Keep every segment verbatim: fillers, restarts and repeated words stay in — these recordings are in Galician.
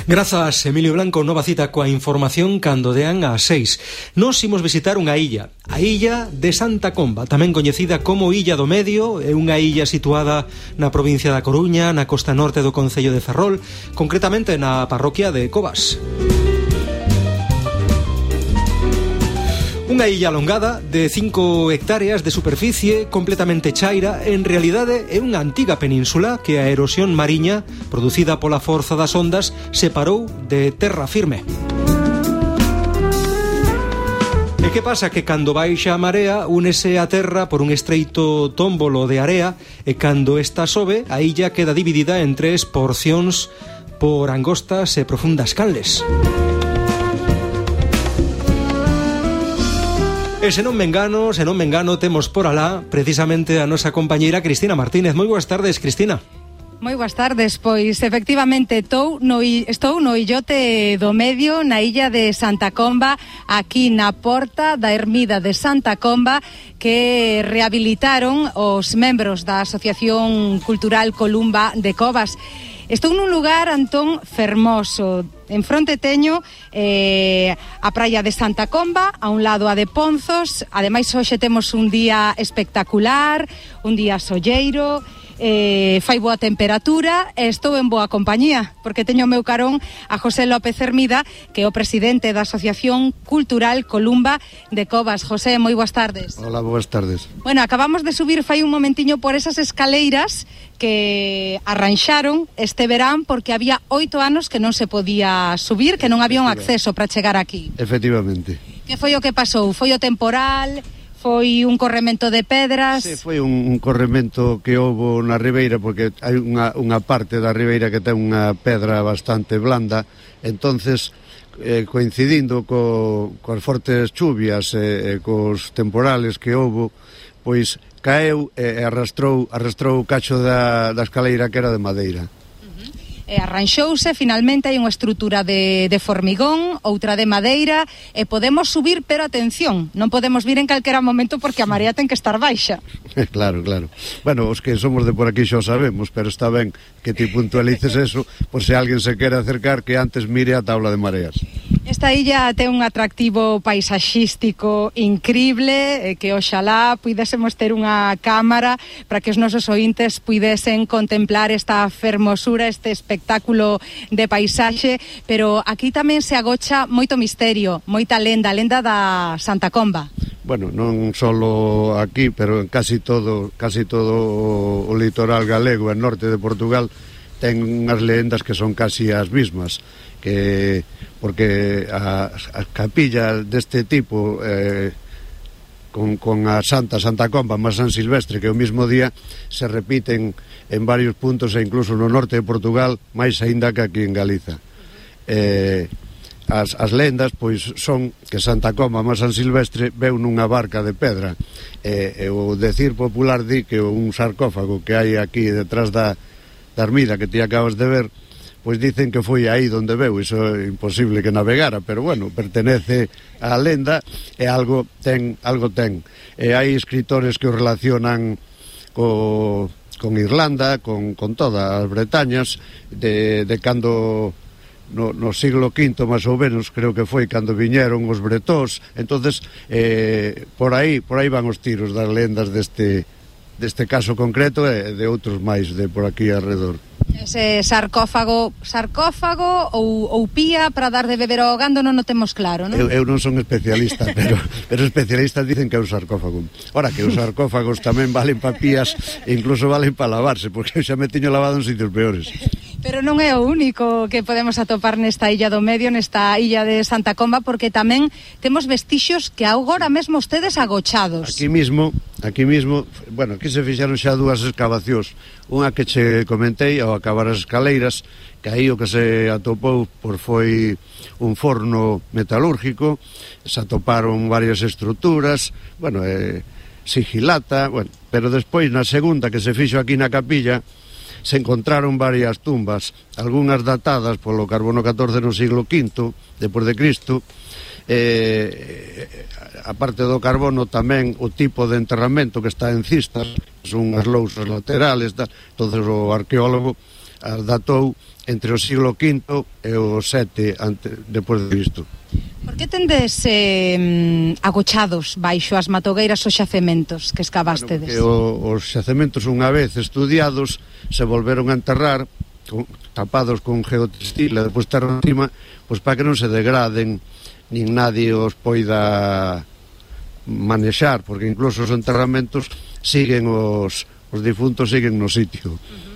Grazas, Emilio Blanco. Nova cita coa información cando dean ás seis. Nos imos visitar unha illa, a illa de Santa Comba, tamén coñecida como Illa do Medio. É unha illa situada na provincia da Coruña, na costa norte do concello de Ferrol, concretamente na parroquia de Covas. Unha illa alongada de cinco hectáreas de superficie, completamente chaira. En realidade é unha antiga península que a erosión mariña producida pola forza das ondas separou de terra firme. E que pasa? Que cando baixa a marea únese a terra por un estreito tómbolo de area, e cando esta sobe a illa queda dividida en tres porcións por angostas e profundas canles. E se non me engano, se non me engano, temos por alá precisamente a nosa compañeira Cristina Martínez. Moi boas tardes, Cristina. Moi boas tardes, pois efectivamente estou no, estou no illote do Medio, na illa de Santa Comba, aquí na porta da ermida de Santa Comba, que rehabilitaron os membros da Asociación Cultural Columba de Covas. Estou nun lugar, Antón, fermoso. En fronte teño eh, a praia de Santa Comba, a un lado a de Ponzos. Ademais, hoxe temos un día espectacular, un día solleiro, eh, fai boa temperatura e estou en boa compañía, porque teño o meu carón a José López Hermida, que é o presidente da Asociación Cultural Columba de Covas. José, moi boas tardes. Hola, boas tardes. Bueno, acabamos de subir fai un momentiño por esas escaleiras que arranxaron este verán porque había oito anos que non se podía subir, que non había un acceso para chegar aquí. Efectivamente. Que foi o que pasou? Foi o temporal? Foi un corremento de pedras? Sí, foi un, un corremento que houbo na ribeira, porque hai unha, unha parte da ribeira que ten unha pedra bastante blanda, entonces eh, coincidindo co, coas fortes chuvias e eh, cos temporales que houbo, pois caeu e arrastrou, arrastrou o cacho da, da escaleira que era de madeira. E arranxouse, finalmente hai unha estrutura de, de formigón, outra de madeira, e podemos subir, pero atención, non podemos vir en calquera momento porque a marea ten que estar baixa. Claro, claro. Bueno, os que somos de por aquí xa o sabemos, pero está ben que ti puntualices eso, por se alguén se quere acercar, que antes mire a tabla de mareas. Esta illa ten un atractivo paisaxístico increíble, que oxalá puidésemos ter unha cámara para que os nosos ointes puidesen contemplar esta fermosura, este espectáculo de paisaxe, pero aquí tamén se agocha moito misterio, moita lenda, lenda da Santa Comba. Bueno, non só aquí, pero en casi todo, casi todo o litoral galego e norte de Portugal ten unhas lendas que son casi as mismas, que porque a, a capilla deste tipo eh, con, con a Santa Santa Comba máis San Silvestre, que o mismo día se repiten en varios puntos e incluso no norte de Portugal, máis aínda que aquí en Galiza. eh, as, as lendas pois son que Santa Comba máis San Silvestre veu nunha barca de pedra, e, e o decir popular di que un sarcófago que hai aquí detrás da, da ermida que ti acabas de ver, pois dicen que foi aí donde veu. Iso é imposible que navegara, pero bueno, pertenece á lenda e algo ten, algo ten. E hai escritores que o relacionan co, con Irlanda, con, con todas as Bretañas, de, de cando no, no siglo quinto máis ou menos, creo que foi cando viñeron os bretós. Entonces eh, por aí por aí van os tiros das lendas deste deste caso concreto e de outros máis de por aquí alrededor. Ese sarcófago, sarcófago ou, ou pía para dar de beber ao gando non o temos claro, non? Eu, eu non son especialista, pero, pero especialistas dicen que é un sarcófago. Ora, que os sarcófagos tamén valen pa pías e incluso valen pa lavarse, porque eu xa me tiño lavado en sitios peores. Pero non é o único que podemos atopar nesta illa do Medio, nesta illa de Santa Comba, porque tamén temos vestixios que agora mesmo ustedes agochados. Aquí mismo, aquí mismo, bueno, aquí se fixeron xa dúas excavacións. Unha que che comentei ao acabar as escaleiras, que aí o que se atopou por foi un forno metalúrgico, se atoparon varias estruturas, bueno, eh, sigilata, bueno, pero despois na segunda que se fixo aquí na capilla, se encontraron varias tumbas, algunhas datadas polo carbono catorce no siglo quinto depois de Cristo. Eh, a parte do carbono tamén o tipo de enterramento que está en cistas, son as lousas laterales, entonces o arqueólogo as datou entre o siglo quinto e o sete antes, depois de Cristo. Por que tendes eh, agochados baixo as matogueiras os xacementos que escavastedes? Bueno, o, os xacementos unha vez estudiados se volveron a enterrar con, tapados con geotextil e depois terra encima, pois para que non se degraden nin nadie os poida manexar, porque incluso os enterramentos siguen os, os difuntos siguen no sitio. Uh-huh.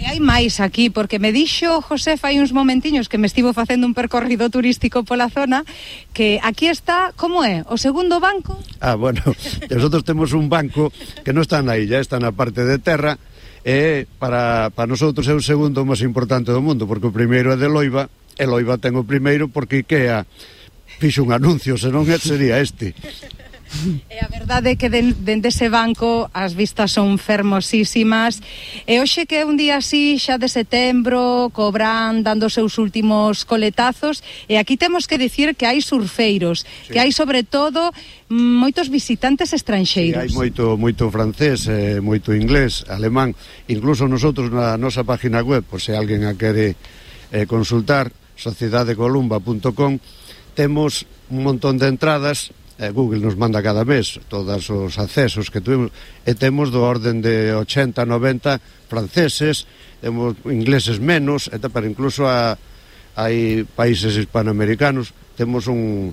E hai máis aquí, porque me dixo José fai uns momentiños que me estivo facendo un percorrido turístico pola zona, que aquí está, como é, o segundo banco? Ah, bueno, nosotros temos un banco que non está na illa, está na parte de terra, e para, para nosotros é o segundo máis importante do mundo, porque o primeiro é de Loiva, e Loiva ten o primeiro porque IKEA fixo un anuncio, senón sería este. E a verdade é que dende ese banco as vistas son fermosísimas, e hoxe que é un día así xa de setembro, cobran dando os seus últimos coletazos, e aquí temos que dicir que hai surfeiros, sí. Que hai sobre todo moitos visitantes estranxeiros. Sí, hai moito, moito francés, eh, moito inglés, alemán, incluso nosotros na nosa página web, por se alguén a quere eh, consultar, sociedade columba punto com, temos un montón de entradas. Google nos manda cada mes todos os accesos que tuvimos, e temos do orden de ochenta, noventa franceses, temos ingleses menos, e para incluso a, hai países hispanoamericanos, temos un,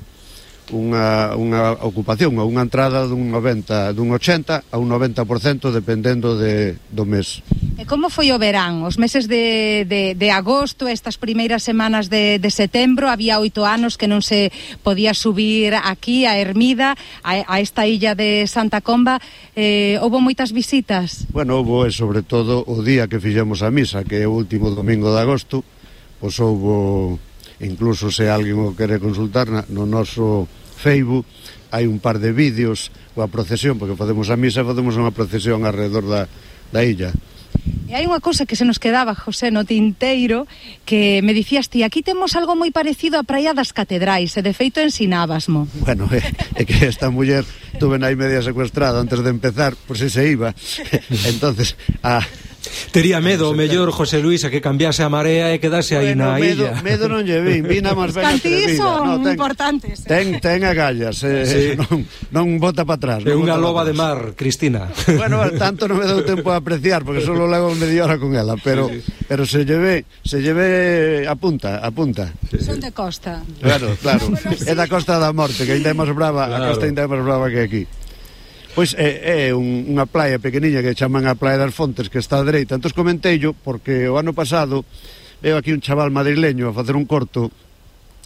unha, unha ocupación, unha entrada dun noventa, dun ochenta a un noventa por cento dependendo de, do mes. E como foi o verán? Os meses de, de, de agosto, estas primeiras semanas de, de setembro, había oito anos que non se podía subir aquí a Ermida, a, a esta illa de Santa Comba. Eh, houbo moitas visitas? Bueno, houbo, e sobre todo o día que fixemos a misa, que é o último domingo de agosto, pois houbo, incluso se alguén o quere consultar, no noso Facebook hai un par de vídeos coa procesión, porque facemos a misa, facemos unha procesión alrededor da, da illa. E hai unha cousa que se nos quedaba, José, no tinteiro, que me dicías ti, aquí temos algo moi parecido á Praia das Catedrais, e de feito ensinábasmo. Bueno, é, é que esta muller tuve aí media secuestrada antes de empezar, por si se iba. Entonces, a... Tería medo o mellor José Luis a que cambiase a marea e quedase aí bueno, na medo, illa. Medo non lle vin, vina máis ben atrevida. Son no, ten, importantes. Ten, ten agallas, eh, sí. non, non bota para atrás. É unha loba de mar, Cristina. Bueno, tanto non me dou tempo a apreciar, porque só levo media hora con ela, pero sí, sí. pero se lleve, se lleve a punta, a punta. Sí, sí. Son de costa. Claro, claro. Bueno, sí. É da Costa da Morte, que ainda é máis brava, claro. A costa ainda é máis brava que aquí. Pois é, é un, unha playa pequeniña que chaman a Playa das Fontes, que está á dereita. Entón comenteillo porque o ano pasado veo aquí un chaval madrileño a facer un corto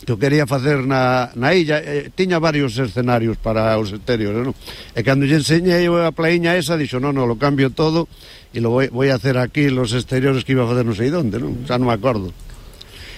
que o quería facer na, na illa, eh, tiña varios escenarios para os exteriores, non? E cando lle enseñei a plaiña esa, dixo, non, non, lo cambio todo e lo voy, voy a hacer aquí los exteriores que iba a facer non sei onde, non? Xa non me acordo.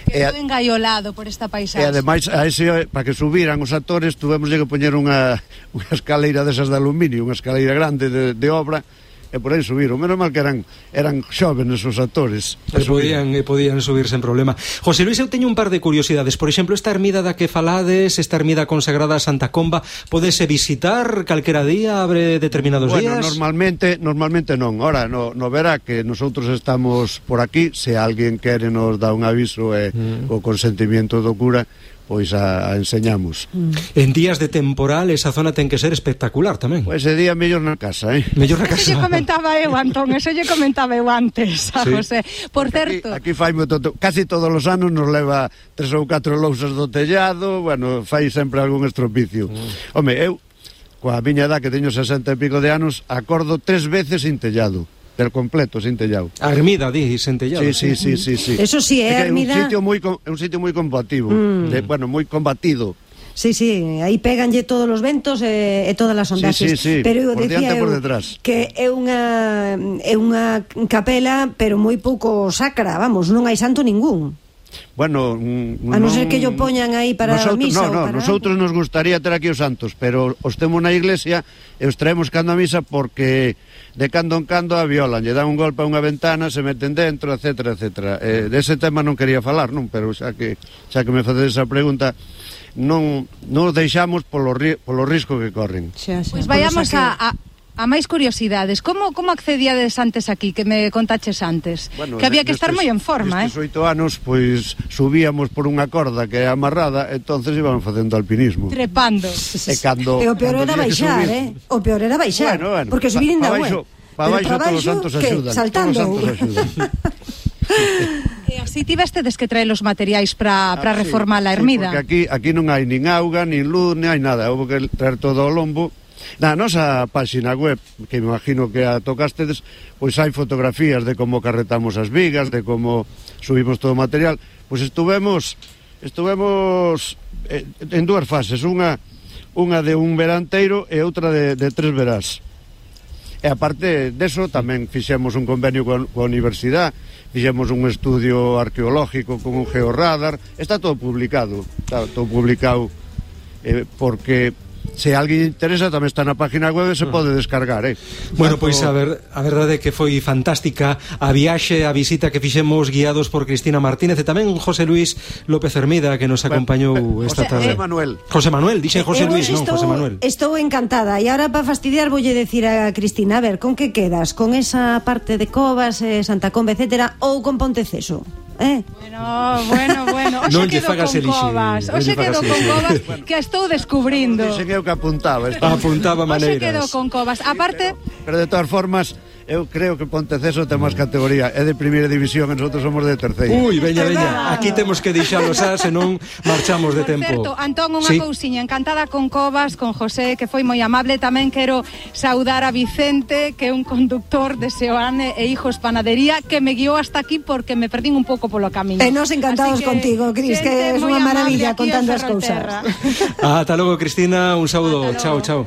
Quedou engaiolado por esta paisaxe. E ademais, a ese, para que subiran os actores, tuvemos que poñer unha, unha escaleira desas de aluminio, unha escaleira grande de, de obra, e por aí subiron. Menos mal que eran eran xóvenes os actores. E podían, e podían subir sen problema. José Luis, eu teño un par de curiosidades. Por exemplo, esta ermida da que falades, esta ermida consagrada a Santa Comba, podese visitar calquera día, abre determinados bueno, días? Bueno, normalmente, normalmente non. Ora, no, no verá que nosotros estamos por aquí, se alguén quere nos dá un aviso e mm. o consentimiento do cura, pois a, a enseñamos. Mm. En días de temporal esa zona ten que ser espectacular tamén. Pois ese día mellor na casa, eh? Mellor na casa. Eso lle comentaba eu, Antón, eso lle comentaba eu antes a sí. José. Por porque certo... Aquí, aquí fai todo, casi todos os anos nos leva tres ou catro lousas do tellado, bueno, fai sempre algún estropicio. Mm. Home, eu, coa miña edad que teño sesenta e pico de anos, acordo tres veces sin tellado. Del completo, sin tellado. A ermida, di, sin tellado. Sí, sí, sí, sí, sí. Eso sí, é, é ermida... un sitio moi, é un sitio moi combativo, mm. de, bueno, moi combatido. Sí, sí, aí péganlle todos os ventos e, e todas as ondaxes. Sí, sí, sí, pero eu por decía diante e por eu detrás. Que é unha é unha capela, pero moi pouco sacra, vamos, non hai santo ningún. Bueno, mm, a non ser que yo poñan aí para nosotros, a misa no, no, para nosotros algo. Nos gustaría ter aquí os santos, pero os temos na iglesia e os traemos cando a misa porque de cando en cando a violan, lle dan un golpe a unha ventana, se meten dentro, etcétera, etcétera. Eh, dese tema non quería falar, non, pero xa que xa que me facedes esa pregunta, non non deixamos polo ri, polo risco que corren. Xa, xa, pois vayamos que... a, a a máis curiosidades, como como accedíades antes aquí, que me contaches antes? Bueno, que había que nestes, estar moi en forma, nestes eh? oito anos, pois, subíamos por unha corda que é amarrada, entonces íbamos facendo alpinismo. Trepando. E cando... E o peor cando era había que baixar, subir- eh? O peor era baixar, Bueno, bueno, porque subir pa- ainda pa bueno. baixo- pa baixo todos os santos que? axudan. Saltando. Todos os santos axudan. E así tivestedes que traer os materiais para para Ah, sí, reformar a sí, ermida. porque aquí, aquí non hai nin auga, nin luz, nin hai nada. Houve que traer todo ao lombo. Na nosa páxina web, que me imagino que a tocastedes, pois hai fotografías de como carretamos as vigas, de como subimos todo o material. Pois estuvemos estuvemos eh, en dúas fases, unha unha de un veranteiro e outra de, de tres verás. E aparte deso tamén fixemos un convenio coa, coa universidade, fixemos un estudio arqueológico con un georradar, está todo publicado, está todo publicado eh, porque se alguén interesa tamén está na página web e se pode descargar, eh. Bueno, Tanto... pois a, ver, a verdade é que foi fantástica a viaxe, a visita que fixemos guiados por Cristina Martínez e tamén José Luis López Hermida que nos acompañou Bueno, esta José, tarde. José Manuel. José Manuel, dixen José Eu Luis, non, estou, José Manuel. Estou encantada. E ahora para fastidiar voulle decir a Cristina, a ver, con que quedas? Con esa parte de Covas, eh, Santa Comba, etcétera, ou con Ponteceso? Eh? Bueno, bueno, bueno. Oxe Non lle quedo fagas con elixir, Covas. non Oxe lle fagas quedo con elixir. Covas que a estou descubrindo. Dixen eu que apuntaba. Está. Apuntaba Oxe maneiras. quedo con Covas. Aparte, Pero de todas formas, eu creo que Ponteceso ten máis categoría, é de primeira división e nosotros somos de terceira. Ui, veña, É veña, verdade. aquí temos que deixalos xa, senón marchamos de por tempo. certo, Antón, unha Sí. cousiña, encantada con Covas, con José, que foi moi amable. Tamén quero saudar a Vicente, que é un conductor de Seoane e Hijos Panadería, que me guiou hasta aquí porque me perdín un pouco polo camiño. E nos encantados Así que, contigo, Cris, que xente es moi unha amable maravilla aquí en contando as cousas. Ferrolterra. Ata logo, Cristina, un saúdo. Ata Chao, logo. chao.